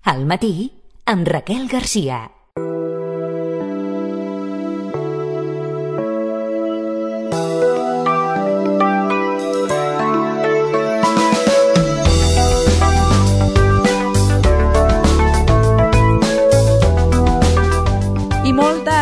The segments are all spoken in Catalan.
Al matí, amb Raquel Garcia.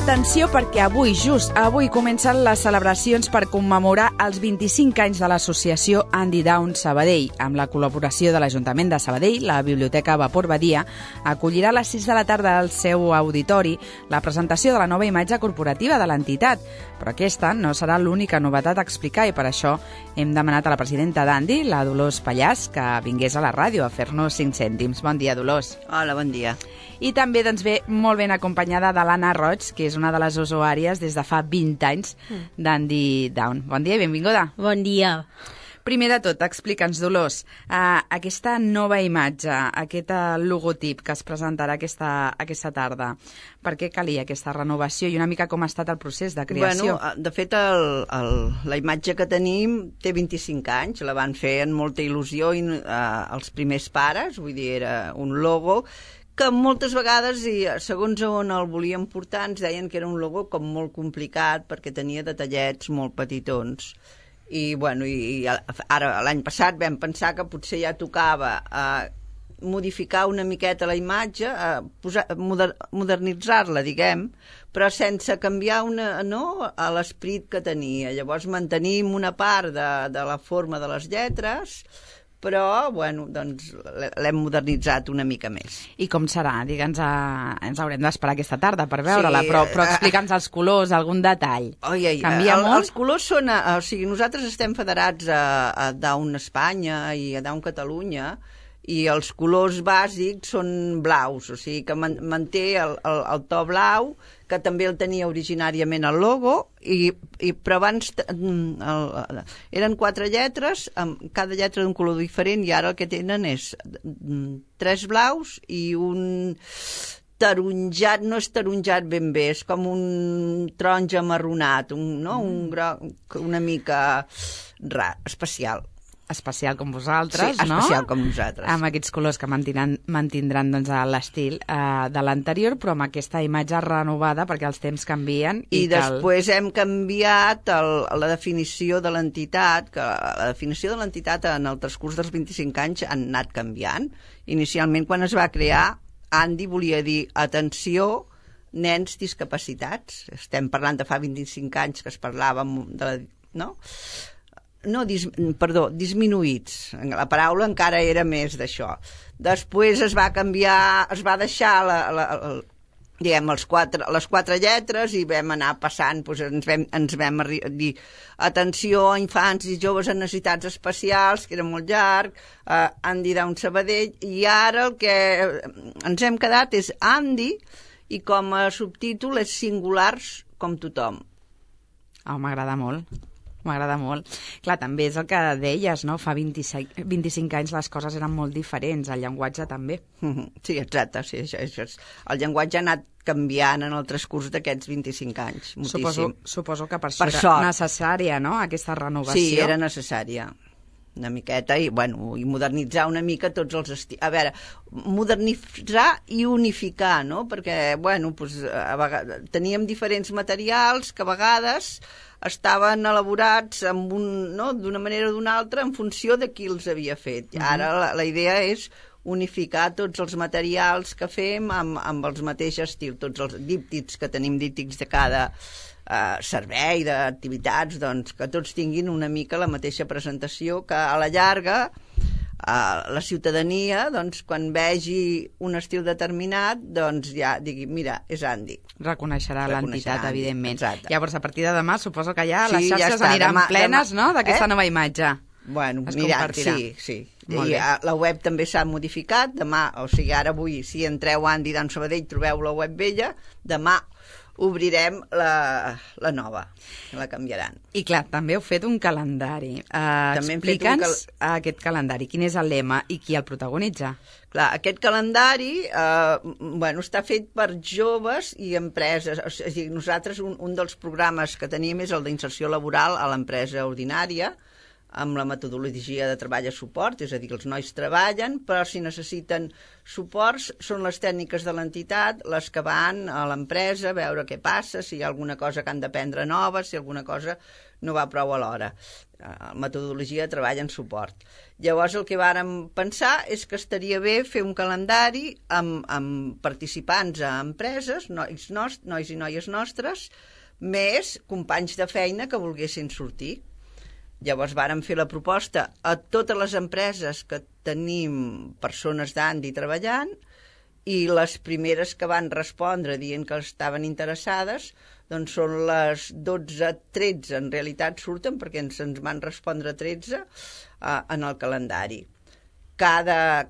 Atenció, perquè just avui comencen les celebracions per commemorar els 25 anys de l'associació Andy Down Sabadell. Amb la col·laboració de l'Ajuntament de Sabadell, la Biblioteca Vapor Badia acollirà a les 6 de la tarda al seu auditori la presentació de la nova imatge corporativa de l'entitat. Però aquesta no serà l'única novetat a explicar i per això hem demanat a la presidenta d'Andy, la Dolors Pallàs, que vingués a la ràdio a fer-nos 5 cèntims. Bon dia, Dolors. Hola, bon dia. I també ve molt ben acompanyada de l'Anna Roig, que és una de les usuàries des de fa 20 anys d'Andy Down. Bon dia i benvinguda. Bon dia. Primer de tot, explica'ns, Dolors, aquesta nova imatge, aquest logotip que es presentarà aquesta tarda, per què calia aquesta renovació i una mica com ha estat el procés de creació? Bueno, de fet, la imatge que tenim té 25 anys, la van fer amb molta il·lusió els primers pares, vull dir, era un logo que moltes vegades, i segons on el volien portar, ens deien que era un logo com molt complicat perquè tenia detallets molt petitons. I, bueno, ara, l'any passat, vam pensar que potser ja tocava modificar una miqueta la imatge, modernitzar-la, diguem, però sense canviar a l'esperit que tenia. Llavors mantenim una part de la forma de les lletres, però, bueno, doncs l'hem modernitzat una mica més. I com serà? Digue'ns, ens haurem d'esperar aquesta tarda per veure-la, però explica'ns els colors, algun detall. Canvia molt? Els colors són... O sigui, nosaltres estem federats a Down Espanya i a Down Catalunya, i els colors bàsics són blaus, o sigui que manté el to blau, que també el tenia originàriament el logo, però abans eren 4 lletres, amb cada lletra d'un color diferent, i ara el que tenen és 3 blaus i un taronjat, no és taronjat ben bé, és com un taronja amarronat, un groc una mica especial. Especial com vosaltres, sí, no? Especial com nosaltres. Amb aquests colors que mantindran doncs, l'estil de l'anterior, però amb aquesta imatge renovada, perquè els temps canvien. I després hem canviat la definició de l'entitat, que la definició de l'entitat en el transcurs dels 25 anys han anat canviant. Inicialment, quan es va crear, Andy volia dir atenció, nens discapacitats. Estem parlant de fa 25 anys que es parlava disminuïts. La paraula encara era més d'això. Després es va canviar, es va deixar les 4 lletres i vam anar passant, doncs ens vam dir atenció a infants i joves amb necessitats especials, que era molt llarg, Andy Down Sabadell, i ara el que ens hem quedat és Andy, i com a subtítol és singulars com tothom. M'agrada molt. M'agrada molt. Clar, també és el que deies, no? Fa 25 anys les coses eren molt diferents, el llenguatge també. Sí, exacte. Sí, el llenguatge ha anat canviant en el transcurs d'aquests 25 anys, moltíssim. Suposo que per això era necessària, no?, aquesta renovació. Sí, era necessària. Una miqueta, i modernitzar una mica tots els estils. A veure, modernitzar i unificar, no? Perquè, a vegades teníem diferents materials que a vegades estaven elaborats d'una manera o d'una altra en funció de qui els havia fet. Ara la idea és unificar tots els materials que fem amb els mateixos estils, tots els díptics que tenim, díptics de cada servei, d'activitats, doncs que tots tinguin una mica la mateixa presentació, que a la llarga la ciutadania, doncs, quan vegi un estil determinat, doncs ja digui, mira, és Andy. Reconeixerà l'entitat, evidentment. Exacte. Llavors, a partir de demà, suposo que ja les xarxes aniran plenes, no?, d'aquesta nova imatge. Sí. I la web també s'ha modificat. Demà, o sigui, avui, si entreu a Andy Down Sabadell, trobeu la web vella. Demà obrirem la nova, la canviaran. I clar, també heu fet un calendari. Explica'ns aquest calendari, quin és el lema i qui el protagonitza? Clar, aquest calendari està fet per joves i empreses. O sigui, nosaltres un dels programes que tenim és el d'inserció laboral a l'empresa ordinària, amb la metodologia de treball a suport, és a dir, els nois treballen, però si necessiten suports són les tècniques de l'entitat les que van a l'empresa a veure què passa, si hi ha alguna cosa que han d'aprendre nova, si alguna cosa no va prou a l'hora. Metodologia de treball en suport. Llavors el que vàrem pensar és que estaria bé fer un calendari amb participants a empreses, nois i noies nostres, més companys de feina que volguessin sortir. Llavors vàrem fer la proposta a totes les empreses que tenim persones d'Andi treballant i les primeres que van respondre dient que estaven interessades doncs són les 12-13, en realitat surten perquè se'ns van respondre 13 en el calendari. Cada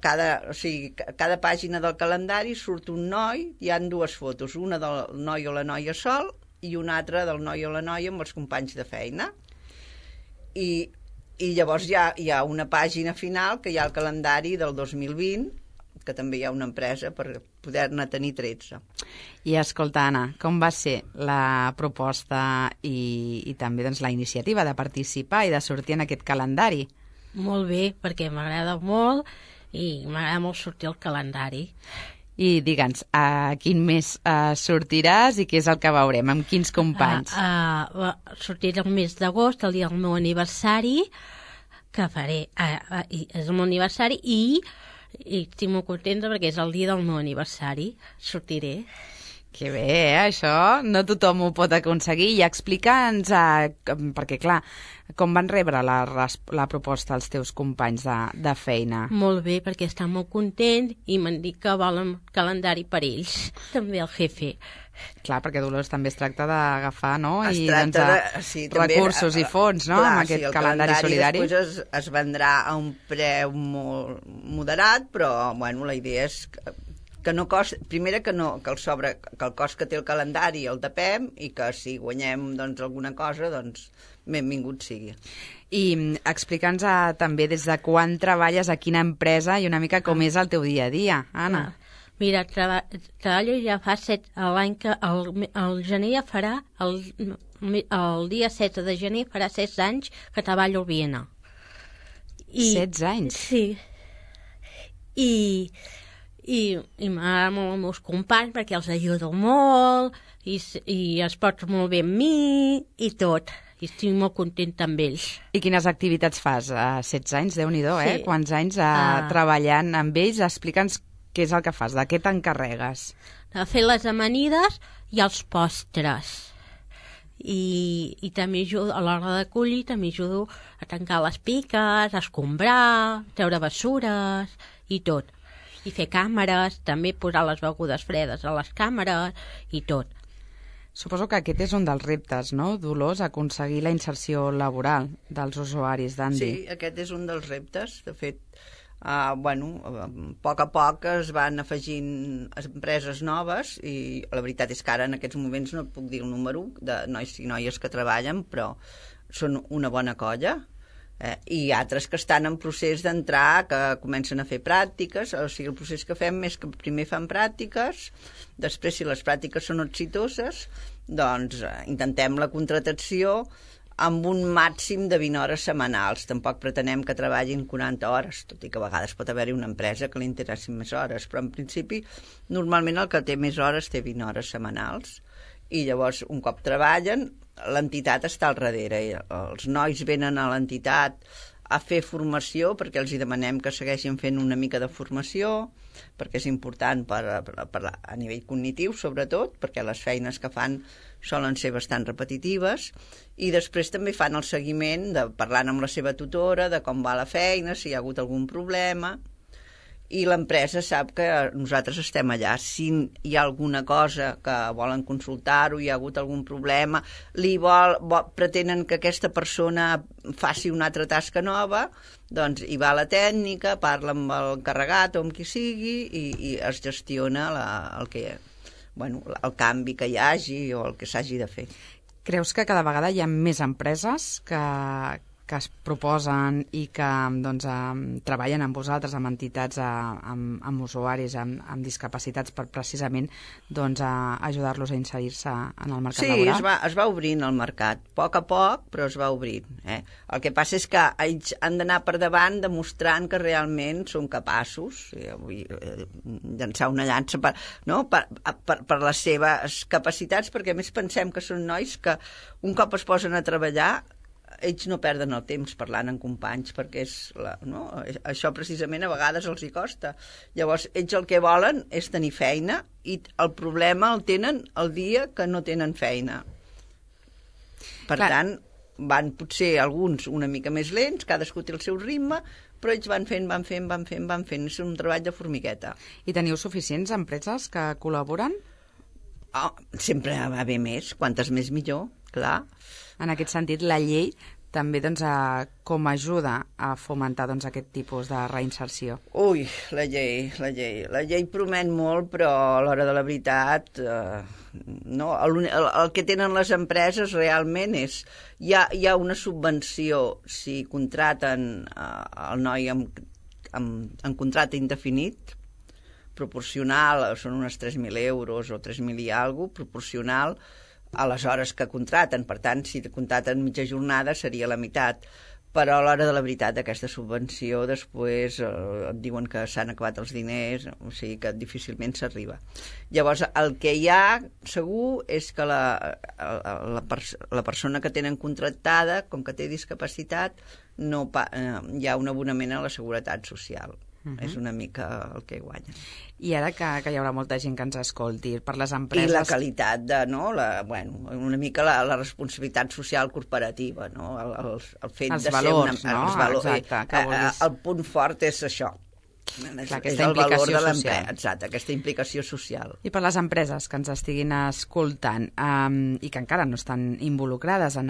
pàgina del calendari surt un noi, hi han dues fotos, una del noi o la noia sol i una altra del noi o la noia amb els companys de feina. I llavors hi ha una pàgina final que hi ha el calendari del 2020, que també hi ha una empresa per poder-ne tenir 13. I escolta, Anna, com va ser la proposta i també doncs, la iniciativa de participar i de sortir en aquest calendari? Molt bé, perquè m'agrada molt i m'agrada molt sortir al calendari. I digue'ns, a quin mes sortiràs i què és el que veurem? Amb quins companys? Sortiré el mes d'agost, el dia del meu aniversari, que faré... és el meu aniversari i estic molt contenta perquè és el dia del meu aniversari. Sortiré. Que bé, això no tothom ho pot aconseguir. I explica'ns, perquè clar, com van rebre la proposta els teus companys de feina? Molt bé, perquè estan molt contents i m'han dit que volen calendari per ells, també el jefe. Clar, perquè Dolors també es tracta d'agafar, no? I recursos i fons, no? Clar, amb aquest calendari solidari. Després es vendrà a un preu molt moderat, però bueno, la idea és que no costa, primera que el cost que té el calendari el tapem i que si guanyem doncs, alguna cosa, doncs benvingut sigui. I explica'ns també des de quan treballes, a quina empresa i una mica com és el teu dia a dia, Anna. Mira, treballo ja fa l'any que el gener ja farà, el dia 16 de gener farà 16 anys que treballo al Viena. 16 anys? Sí. I m'agrada molt els meus companys perquè els ajudo molt i es porten molt bé amb mi i tot. I estic molt contenta amb ells. I quines activitats fas? 16 anys, Déu-n'hi-do, sí. Quants anys treballant amb ells? Explica'ns què és el que fas, de què t'encarregues? De fer les amanides i els postres. I també ajudo, a l'hora de collir, també ajudo a tancar les piques, a escombrar, treure bessures i tot. I fer càmeres, també posar les begudes fredes a les càmeres i tot. Suposo que aquest és un dels reptes, no, Dolors, aconseguir la inserció laboral dels usuaris d'Andi. Sí, aquest és un dels reptes. De fet, a poc a poc es van afegint empreses noves i la veritat és que ara en aquests moments no et puc dir el número de nois i noies que treballen, però són una bona colla. I altres que estan en procés d'entrar, que comencen a fer pràctiques, o sigui, el procés que fem és que primer fan pràctiques, després, si les pràctiques són exitoses, doncs intentem la contractació amb un màxim de 20 hores setmanals. Tampoc pretenem que treballin 40 hores, tot i que a vegades pot haver-hi una empresa que li interessin més hores, però en principi, normalment el que té més hores té 20 hores setmanals. I llavors, un cop treballen, l'entitat està al darrere. Els nois venen a l'entitat a fer formació perquè els hi demanem que segueixin fent una mica de formació, perquè és important a nivell cognitiu, sobretot, perquè les feines que fan solen ser bastant repetitives, i després també fan el seguiment parlant amb la seva tutora de com va la feina, si hi ha hagut algun problema, i l'empresa sap que nosaltres estem allà. Si hi ha alguna cosa que volen consultar-ho, hi ha hagut algun problema, pretenen que aquesta persona faci una altra tasca nova, doncs hi va la tècnica, parla amb l'encarregat o amb qui sigui i es gestiona el canvi que hi hagi o el que s'hagi de fer. Creus que cada vegada hi ha més empreses que que es proposen i que doncs, treballen amb vosaltres, amb entitats, amb usuaris, amb discapacitats, per precisament doncs, ajudar-los a inserir-se en el mercat laboral? Sí, es va obrint el mercat, a poc, però es va obrint. El que passa és que ells han d'anar per davant demostrant que realment són capaços, vull llançar una llança per les seves capacitats, perquè a més pensem que són nois que un cop es posen a treballar ells no perden el temps parlant amb companys, perquè això precisament a vegades els hi costa. Llavors, ells el que volen és tenir feina i el problema el tenen el dia que no tenen feina. Per tant, van potser alguns una mica més lents, cadascú té el seu ritme, però ells van fent. És un treball de formigueta. I teniu suficients empreses que col·laboren? Sempre va haver més, quantes més millor, clar. En aquest sentit, la llei també doncs, com ajuda a fomentar doncs, aquest tipus de reinserció? Ui, la llei promet molt, però a l'hora de la veritat no, el que tenen les empreses realment és hi ha una subvenció si contraten el noi en contracte indefinit, proporcional, són unes 3.000 euros o 3.000 i alguna cosa, proporcional a les hores que contraten. Per tant, si contraten mitja jornada seria la meitat. Però a l'hora de la veritat aquesta subvenció després et diuen que s'han acabat els diners, o sigui que difícilment s'arriba. Llavors, el que hi ha segur és que la persona que tenen contractada, com que té discapacitat, hi ha un abonament a la Seguretat Social. És una mica el que guanyen. I ara que hi haurà molta gent que ens escolti, per les empreses... I la qualitat de, una mica la responsabilitat social corporativa, no? El fet els de valors, ser no? Els valors, exacte, el punt fort és això. Clar, és el valor de l'empresa, exacte, aquesta implicació social. I per les empreses que ens estiguin escoltant i que encara no estan involucrades en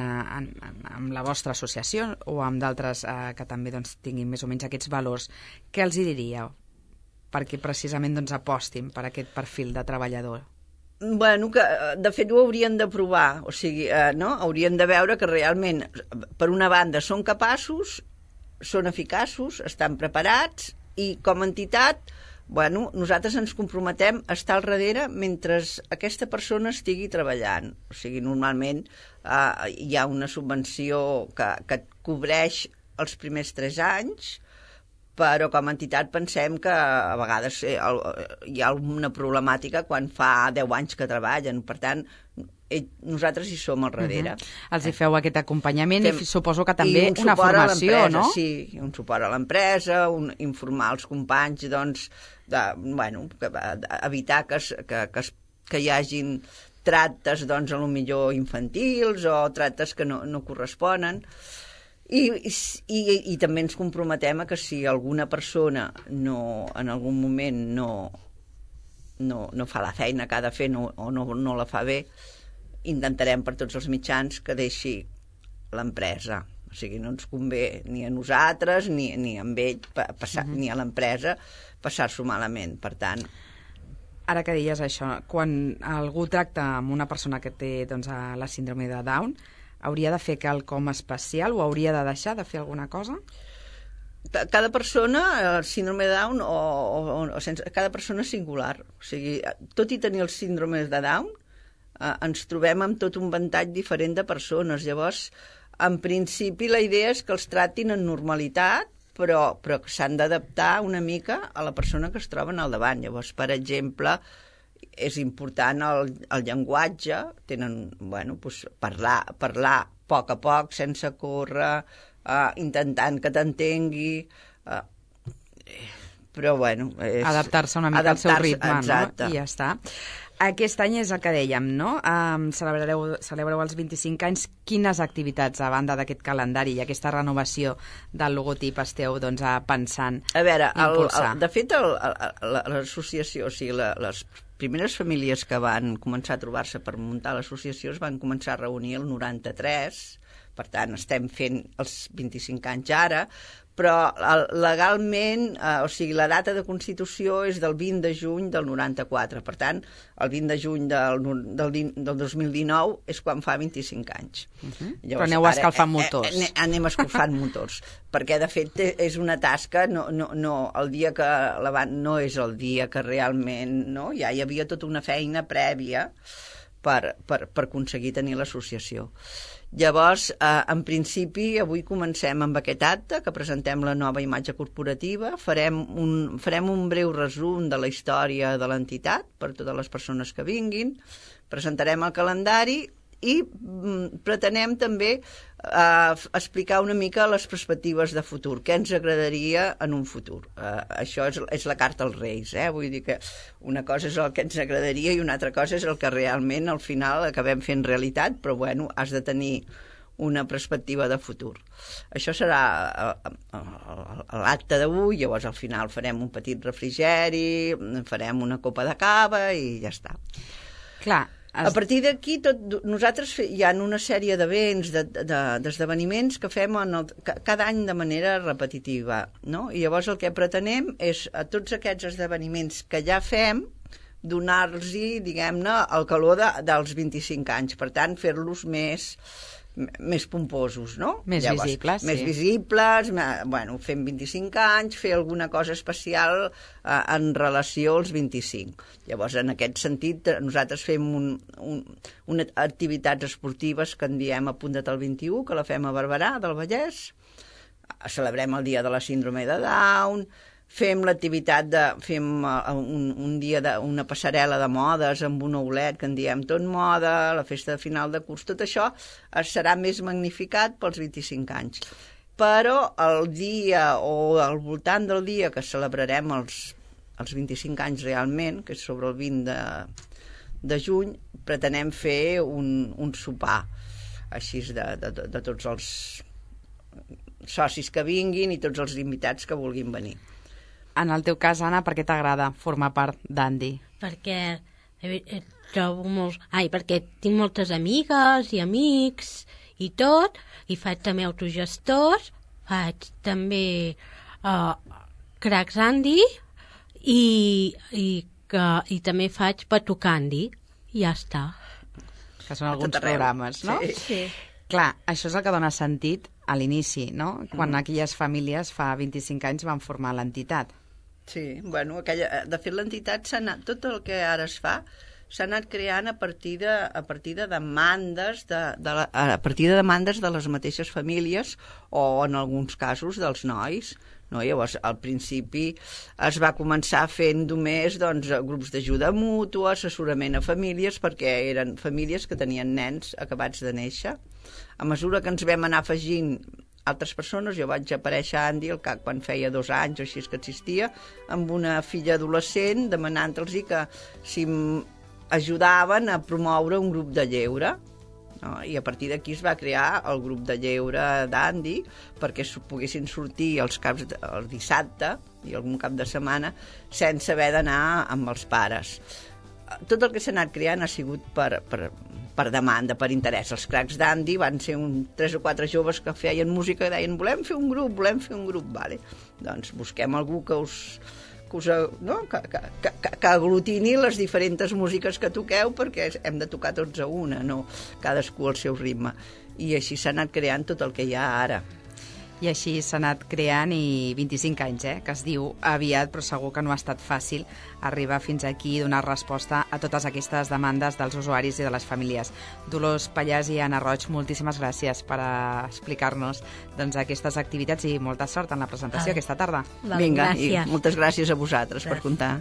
la vostra associació o amb d'altres que també doncs, tinguin més o menys aquests valors, què els hi diríeu perquè precisament doncs, apostin per aquest perfil de treballador? Bueno, que de fet ho haurien de provar, o sigui, haurien de veure que realment, per una banda, són capaços, són eficaços, estan preparats, i com a entitat, nosaltres ens comprometem a estar al darrere mentre aquesta persona estigui treballant. O sigui, normalment hi ha una subvenció que cobreix els primers 3 anys, però com a entitat pensem que a vegades hi ha una problemàtica quan fa 10 anys que treballen. Per tant, nosaltres hi som al darrere. Els hi feu aquest acompanyament i suposo que també una formació, no? Sí, un suport a l'empresa, informar els companys, doncs, evitar que hi hagin tractes, doncs, potser infantils o tractes que no corresponen. I també ens comprometem a que si alguna persona en algun moment no fa la feina que ha de fer o no la fa bé, intentarem per tots els mitjans que deixi l'empresa. O sigui, no ens convé ni a nosaltres ni amb ell ni a l'empresa passar-s'ho malament. Per tant... Ara que deies això, quan algú tracta amb una persona que té doncs, la síndrome de Down, hauria de fer quelcom especial o hauria de deixar de fer alguna cosa? Cada persona, el síndrome de Down cada persona és singular. O sigui, tot i tenir el síndrome de Down, ens trobem amb tot un ventall diferent de persones. Llavors, en principi, la idea és que els tractin en normalitat, però que s'han d'adaptar una mica a la persona que es troben al davant. Llavors, per exemple, és important el llenguatge, tenen, parlar a poc, sense córrer, intentant que t'entengui, però, adaptar-se una mica al seu ritme, exacte. No? I ja està. Aquest any és el que dèiem, no? Celebreu els 25 anys. Quines activitats, a banda d'aquest calendari i aquesta renovació del logotip, esteu pensant impulsar? De fet, l'associació, o sigui, les primeres famílies que van començar a trobar-se per muntar l'associació es van començar a reunir el 93, per tant, estem fent els 25 anys ara, però legalment, o sigui, la data de constitució és del 20 de juny del 94. Per tant, el 20 de juny del 2019 és quan fa 25 anys. Llavors, però aneu escalfant motors. Anem escalfant motors, perquè de fet és una tasca, el dia que no és el dia que realment, no? Ja hi havia tota una feina prèvia per aconseguir tenir l'associació. Llavors, en principi, avui comencem amb aquest acte, que presentem la nova imatge corporativa, farem un breu resum de la història de l'entitat per totes les persones que vinguin, presentarem el calendari i pretenem també explicar una mica les perspectives de futur, què ens agradaria en un futur. Això és la carta als Reis, vull dir que una cosa és el que ens agradaria i una altra cosa és el que realment al final acabem fent realitat, però bueno, has de tenir una perspectiva de futur. Això serà l'acte d'avui, llavors al final farem un petit refrigeri, farem una copa de cava i ja està. Clar. A partir d'aquí, nosaltres hi ha una sèrie d'events, d'esdeveniments que fem cada any de manera repetitiva, no? I llavors el que pretenem és a tots aquests esdeveniments que ja fem donar-los-hi, diguem-ne, el calor dels 25 anys. Per tant, fer-los més pomposos, no? Més visibles, sí. Més visibles, bueno, fem 25 anys, fer alguna cosa especial en relació als 25. Llavors, en aquest sentit, nosaltres fem unes activitats esportives que en diem Apunta't al 21, que la fem a Barberà, del Vallès, celebrem el dia de la síndrome de Down, fem l'activitat fem un dia una passarel·la de modes amb un oulet que en diem Tot Moda, la festa de final de curs, tot això serà més magnificat pels 25 anys. Però el dia o al voltant del dia que celebrarem els 25 anys realment, que és sobre el 20 de juny, pretenem fer un sopar així de tots els socis que vinguin i tots els invitats que vulguin venir. En el teu cas, Anna, per què t'agrada formar part d'Andi? Perquè perquè tinc moltes amigues i amics i tot, i faig també autogestors, faig també Cracks Andi i també faig Patucandi, i ja està. Que són alguns programes, no? Sí. Clar, això és el que dona sentit a l'inici, no? Quan aquelles famílies fa 25 anys van formar l'entitat. Sí, bueno, de fet l'entitat tot el que ara es fa s'ha anat creant a partir de demandes a partir de demandes de les mateixes famílies o en alguns casos dels nois, no? Llavors al principi es va començar fent només grups d'ajuda mútua, assessorament a famílies, perquè eren famílies que tenien nens acabats de néixer. A mesura que ens vam anar afegint altres persones, jo vaig aparèixer a Andi quan feia 2 anys o així que existia, amb una filla adolescent demanant-los que si ajudaven a promoure un grup de lleure, no? I a partir d'aquí es va crear el grup de lleure d'Andi perquè poguessin sortir el dissabte i algun cap de setmana sense haver d'anar amb els pares. Tot el que s'ha anat creant ha sigut per demanda, per interès. Els Cracks d'Andi van ser 3 o 4 joves que feien música i deien volem fer un grup, vale. Doncs busquem algú que aglutini les diferents músiques que toqueu, perquè hem de tocar tots a una, no cadascú al seu ritme. I així s'ha anat creant tot el que hi ha ara. I així s'ha anat creant, i 25 anys, que es diu aviat, però segur que no ha estat fàcil arribar fins aquí i donar resposta a totes aquestes demandes dels usuaris i de les famílies. Dolors Pallàs i Anna Roig, moltíssimes gràcies per explicar-nos aquestes activitats i molta sort en la presentació aquesta tarda. Vinga, i moltes gràcies a vosaltres per comptar.